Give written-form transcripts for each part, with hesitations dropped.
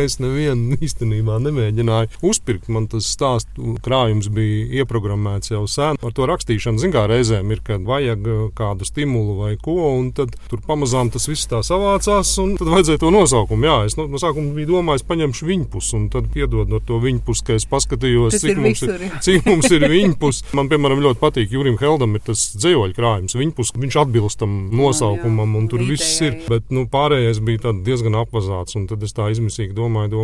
es nevienu īstenībā nemēģināju uzpirkt. Man tas stāstu krājums bija ieprogrammēts jau sen. Ar to rakstīšanu, zin kā reizēm ir, kad vajag kādu stimulu vai ko, un tad tur pamazām tas viss tā savācās, un tad vajadzēja to nosaukumu. Jā, es no sākuma biju domājis, paņemšu viņpus, un tad piedod no to viņpus, ka es paskatījos, cik mums ir viņpus. Man, piemēram, ļoti patīk Jurim Heldam ir tas dzējoļu krājums. Viņpus, viņš atbilst tam nosaukumam, un tur viss ir. Bet, pārējais bija diezgan apvazāts, un tad es tā izmisīgi domāju,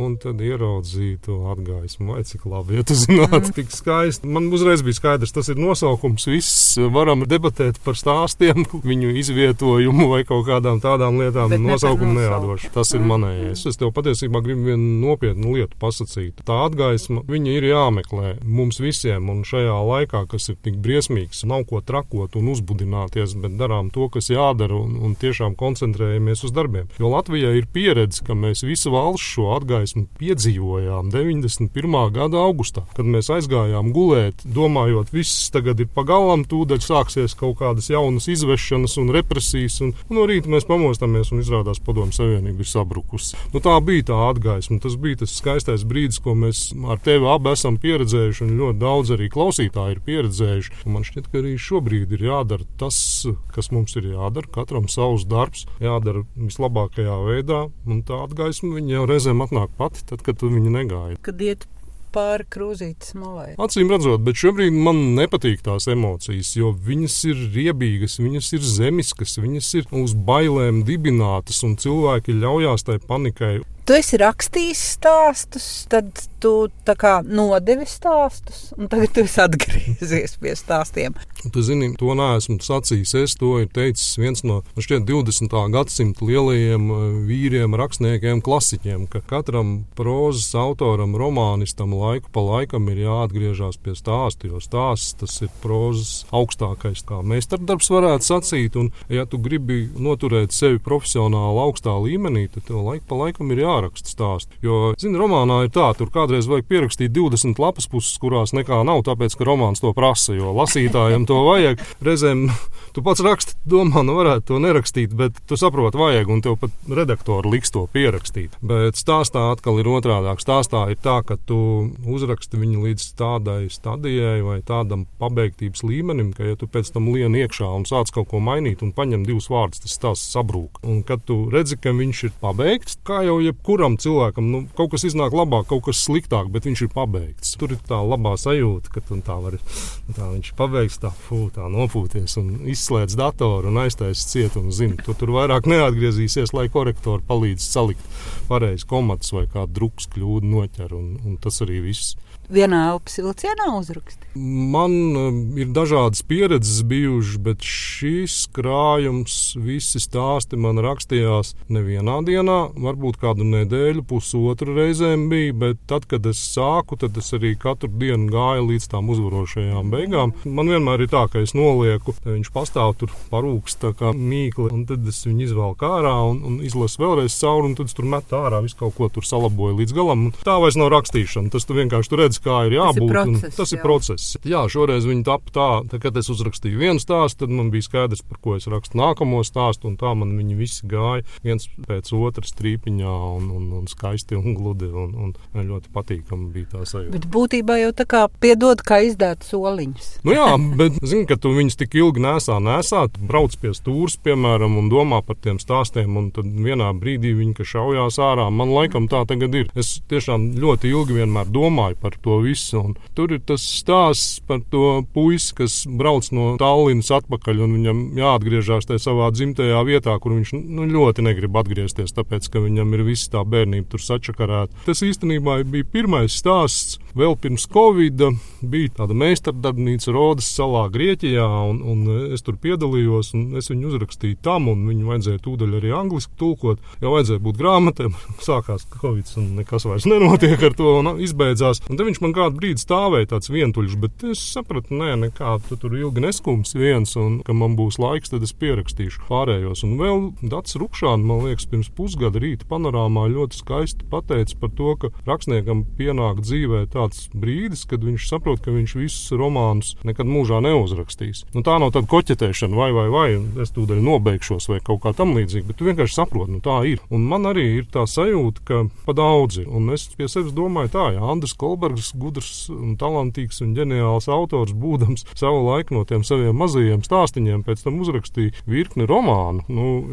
un tad ieraudzīju to atgaismu. Vai cik labi, ja tu zinātu, tik skaisti. Man uzreiz bija skaidrs, tas ir nosaukums. Viss varam debatēt par stāstiem, viņu izvietojumu vai kaut kādām tādām lietām. Nosaukumu neādošu. Tas ir manējais. Es tev patiesībā gribu vienu nopietnu lietu pasakīt. Tā atgaisma, viņa ir jāmeklē mums visiem, un šajā laikā, kas ir tik briesmīgs, nav ko trakot un uzbudināties, bet darām to, kas jādara, un tiešām koncentrējamies uz darbiem. Jo Latvijai ir pieredze, ka mēs visu valsts šo atgaismu piedzīvojām 91. gada augustā, kad mēs aizgājām gulēt, domājot, viss tagad ir pagalam, tūdaļ sāksies kaut kādas jaunas izvešanas un represijas, un no rīta mēs pamostamies un izrādās Padomju Savienība ir sabrukusi. Tā bija tā atgaisma, tas bija tas skaistais brīdis, ko mēs ar tevi abi esam pieredzējuši, un ļoti daudz arī klausītāji ir pieredzējuši. Un man šķiet, ka arī šobrīd ir jādara tas, kas mums ir jādara, katram savs darbs, jādara vislabākajā veidā, un tā atgaisma viņa jau reizēm atnāk pati, tad, kad tu viņu negaidi. Kad iet pāri krūzītes malai. Acīm redzot, bet šobrīd man nepatīk tās emocijas, jo viņas ir riebīgas, viņas ir zemiskas, viņas ir uz bailēm dibinātas, un cilvēki ļaujās tai panikai. Tu esi rakstījis stāstus, tad tu tā kā nodevi stāstus, un tagad tu esi atgriezies pie stāstiem. Tu zini, to neesmu sacījis. Es to ir teicis viens no 20. gadsimta lielajiem vīriem, rakstniekiem, klasiķiem, ka katram prózas autoram, romānistam laiku pa laikam ir jāatgriežās pie stāstu, jo stāsts tas ir prózas augstākais, kā meistardarbs varētu sacīt, un ja tu gribi noturēt sevi profesionāli augstā līmenī, tad tev laiku pa laikam ir jāraksta stāsti. Jo, zini, romānā ir tā, tur kādreiz vajag pierakstīt 20 lapas puses, kurās nekā nav, tāpēc, ka romāns to prasa, jo lasītājiem to vajag. Reizēm tu pats raksti, domā, varētu to nerakstīt, bet tu saproti, vajag, un tev pat redaktori liks to pierakstīt. Bet stāstā atkal ir otrādāk. Stāstā ir tā, ka tu uzraksti viņu līdz tādai stadijai vai tādam pabeigtības līmenim, ka ja tu pēc tam lien iekšā un sāc kaut ko mainīt un paņem 2 vārdus, tas stāsts sabrūk. Un kad tu redzi, ka viņš ir pabeigts, kā jau jebkuram cilvēkam, kaut kas iznāk labāk, kaut kas sliktāk, bet viņš ir pabeigts. Tur ir tā labā sajūta, ka tu tā viņš ir pabeigts, tā nopūties un izslēdz datoru un aiztaisi ciet un zini, tu tur vairāk neatgriezīsies, lai korektori palīdz salikt pareizi komatus vai kādu drukas kļūdu noķer, un tas arī viss. Vienā elpas vilcienā uzraksti? Man ir dažādas pieredzes bijušas, bet šīs krājums, visi stāsti man rakstījās nevienā dienā, varbūt kādu nedēļu, pusotru reizēm bija, bet tad, kad es sāku, tad es arī katru dienu gāju līdz tām uzvarošajām beigām. Man vienmēr ir tā, ka es nolieku, viņš pastāv tur parūks tā kā mīkli, un tad es viņu izvelku ārā un izlasu vēlreiz cauri, un tad es tur metu ārā, visu kaut ko tur salaboju līdz galam. Tā vairs nav rakstīšana, tas tu vienkārši redzi, kā ir jābūt. Tas ir process. Jā, šoreiz viņi tapa tā, kad es uzrakstīju vienu stāstu, tad man bija skaidrs, par ko es rakstu nākamo stāstu, un tā man viņi visi gāja viens pēc otras trīpiņā un skaisti un gludi, un ļoti patīkami bija tā sajūta. Bet būtībā jau tā kā piedod, kā izdēt soliņus. Jā, bet zini, ka tu viņus tik ilgi nesā, tu brauc pie stūres, piemēram, un domā par tiem stāstiem, un tad vienā brīdī viņi, ka šaujās ārā. Man laikam tā tagad ir. Es tiešām ļoti ilgi vienmēr domāju par to visu, un tur ir tas stāsts par to puisi, kas brauc no Tallinas atpakaļ, un viņam jāatgriežās tajā savā dzimtajā vietā, kur viņš ļoti negrib atgriezties, tāpēc, ka viņam ir visa tā bērnība tur sačakarēta. Tas īstenībā bija pirmais stāsts. Vēl pirms Covida bija tāda meistardarbnīca Rodas salā Grieķijā, un es tur piedalījos, un es viņu uzrakstīju tam, un viņu vajadzēja tūdaļ arī angliski tulkot, jo vajadzēja būt grāmatēm. Sākās Covids, un nekas vairs nenotiek ar to, un izbeidzās. Un te viņš man kādu brīdi stāvēja tāds vientuļš, bet es sapratu, nekā, tu tur ilgi neskums viens, un ka man būs laiks, tad es pierakstīšu pārējos. Un vēl Dats Rukšāni, man liekas, pirms pusgada Rīta panorāmā domāju, ļoti skaisti pateica par to, ka rakstniekam pienāk dzīvē tāds brīdis, kad viņš saprot, ka viņš visus romānus nekad mūžā neuzrakstīs. Tā nav tāda koķetēšana vai, es tūdaļ nobeigšos vai kaut kā tam līdzīgi, bet tu vienkārši saproti, tā ir. Un man arī ir tā sajūta, ka pa daudz ir. Un es pie sevis domāju tā, ja Andris Kolbergs, gudrs un talantīgs un ģeniāls autors, būdams savu laiku no tiem saviem mazajiem stāstiņiem, pēc tam uzrakstīja virkni romānu.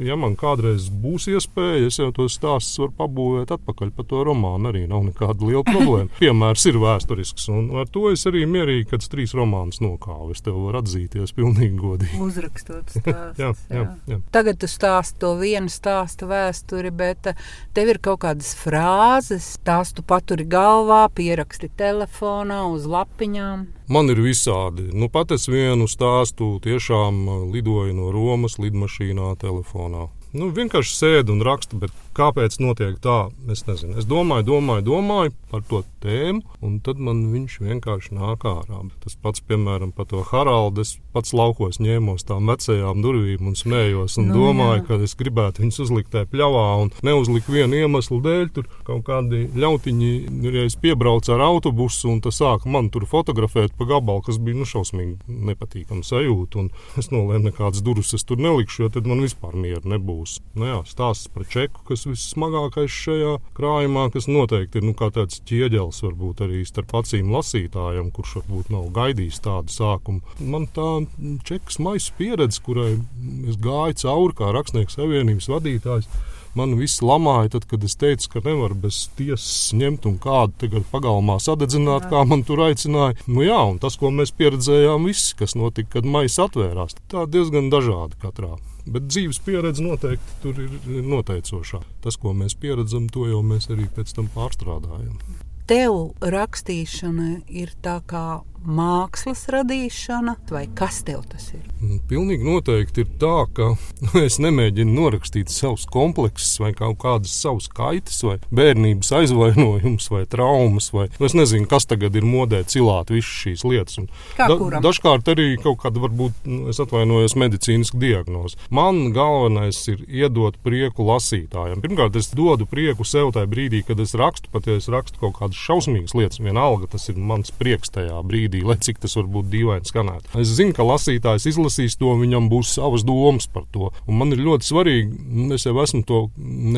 Ja man kādreiz būs iespēja, es jau tos stāstus varu pabūvēt atpakaļ pa to romānu, arī nav nekāda liela problēma. Piemērs ir vēsturisks, un ar to es arī mierīgi, kad 3 romānus nokāvu. Es tev varu atzīties pilnīgi godīgi. Uzrakstot stāstus. jā. Tagad tu stāsti to vienu stāstu vēsturi, bet tev ir kaut kādas frāzes, tās tu paturi galvā, pieraksti telefonā, uz lapiņām. Man ir visādi. Pat es vienu stāstu tiešām lidoju no Romas lidmašīnā telefonā. Vienkārši sēdu un rakstu, bet kāpēc notiek tā, es nezinu. Es domāju par to tēmu, un tad man viņš vienkārši nāk ārā. Tas pats, piemēram, par to Haraldu, es pats laukos ņēmos tām vecajām durvīm un smējos, un domāju, ka es gribētu viņus uzlikt tajā pļavā, un neuzliku vienu iemeslu dēļ. Tur kaut kādi ļautiņi reiz piebrauca ar autobusu, un tas sāka man tur fotografēt pa gabalu, kas bija šausmīgi nepatīkama sajūta, un es nolēmu, nekādas durvis es tur nelikšu, jo tad man vispār mieru nebūs. Stāsts par čeku, kas vissmagākais šajā krājumā, kas noteikti ir kā tāds ķieģelis varbūt arī starp acīm lasītājam, kurš varbūt nav gaidījis tādu sākumu. Man tā čekas maisa pieredze, kurai es gāju cauri kā Rakstnieku savienības vadītājs, man viss lamāja, tad, kad es teicu, ka nevar bez tiesas ņemt un kādu tagad pagalmā sadedzināt, kā man tur aicināja. Un tas, ko mēs pieredzējām visi, kas notika, kad maisa atvērās, tā diezgan dažādi katrā. Bet dzīves pieredze noteikti tur ir noteicošā. Tas, ko mēs pieredzam, to jau mēs arī pēc tam pārstrādājam. Tev rakstīšana ir tā kā mākslas radīšana, vai kas tev tas ir? Pilnīgi noteikti ir tā, ka es nemēģinu norakstīt savus kompleksus vai kaut kādas savus kaitas vai bērnības aizvainojumus vai traumas vai es nezinu, kas tagad ir modē cilāt visas šīs lietas. Dažkārt arī kaut kāda varbūt, es atvainojos, medicīniska diagnoze. Man galvenais ir iedot prieku lasītājiem. Pirmkārt, es dodu prieku sev tajā brīdī, kad es rakstu, pat ja es rakstu kaut kādas šausmīgas lietas, vienalga tas ir mans prieks tajā brīdī, lai cik tas varbūt dīvaini skanētu. Es zinu, ka lasītājs izlasīs to, viņam būs savas domas par to. Un man ir ļoti svarīgi, es jau esmu to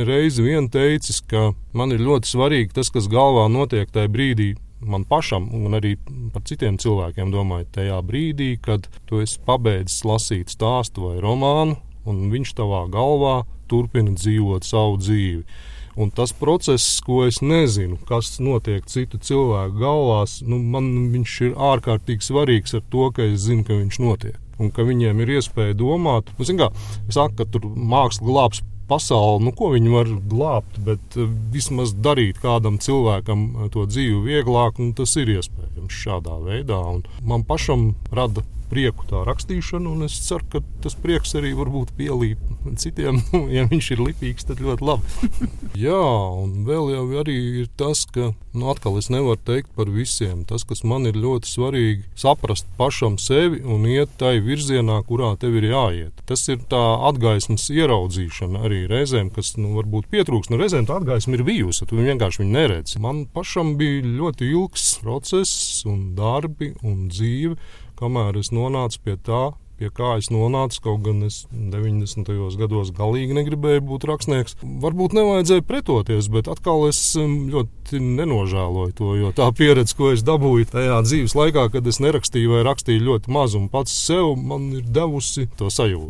reizi vien teicis, ka man ir ļoti svarīgi tas, kas galvā notiek tajā brīdī, man pašam un arī par citiem cilvēkiem domāju, tajā brīdī, kad tu esi pabeidzis lasīt stāstu vai romānu, un viņš tavā galvā turpina dzīvot savu dzīvi. Un tas process, ko es nezinu, kas notiek citu cilvēku galvās, man viņš ir ārkārtīgi svarīgs ar to, ka es zinu, ka viņš notiek. Un ka viņiem ir iespēja domāt. Es saku, ka tur māksla glābs pasauli, ko viņi var glābt, bet vismaz darīt kādam cilvēkam to dzīvi vieglāk, un tas ir iespējams šādā veidā. Un man pašam rada prieku tā rakstīšana, un es ceru, ka tas prieks arī varbūt pielīp citiem. Ja viņš ir lipīgs, tad ļoti labi. Jā, un vēl jau arī ir tas, ka atkal es nevaru teikt par visiem. Tas, kas man ir ļoti svarīgi, saprast pašam sevi un iet tai virzienā, kurā tev ir jāiet. Tas ir tā atgaismas ieraudzīšana arī reizēm, kas varbūt pietrūks. Reizēm tā atgaisma ir bijusi, tu vienkārši viņu neredzi. Man pašam bija ļoti ilgs process un darbi un dzīve, kamēr es nonācu pie tā, pie kā es nonācu, kaut gan es 90. gados galīgi negribēju būt rakstnieks. Varbūt nevajadzēja pretoties, bet atkal es ļoti nenožēloju to, jo tā pieredze, ko es dabūju tajā dzīves laikā, kad es nerakstīju vai rakstīju ļoti maz un pats sev, man ir devusi to sajūtu.